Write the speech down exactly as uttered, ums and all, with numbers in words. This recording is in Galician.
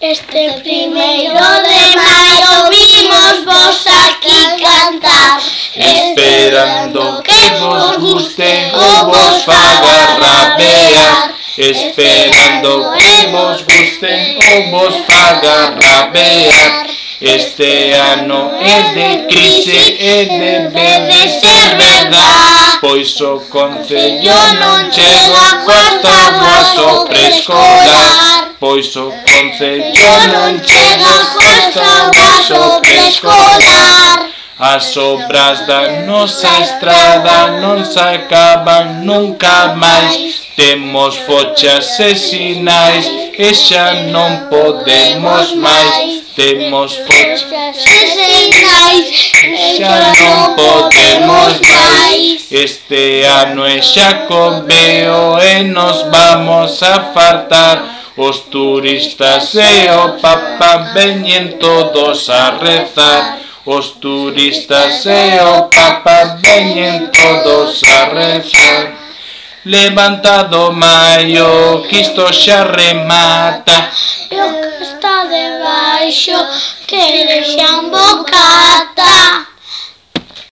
Este primeiro de maio vimos vos aquí cantar, esperando que vos guste ou vos faga rabear, esperando que vos guste ou vos faga rabear. Este ano é de crise e debe de ser verdad, pois o Concello non chega coas táboas ao preescolar, pois o Concello non chega coas táboas ao preescolar. As obras da nosa estrada non se acaban nunca máis, temos fochas e sinais e xa non podemos máis. Temos fochas e sinais e xa non podemos máis. Este ano é Xacobeo e nos vamos a fartar. Os turistas e o Papa veñen todos a rezar. Os turistas e o Papa veñen todos a rezar. Levantado maio, que isto xa remata, e o que está debaixo que deixan bocata.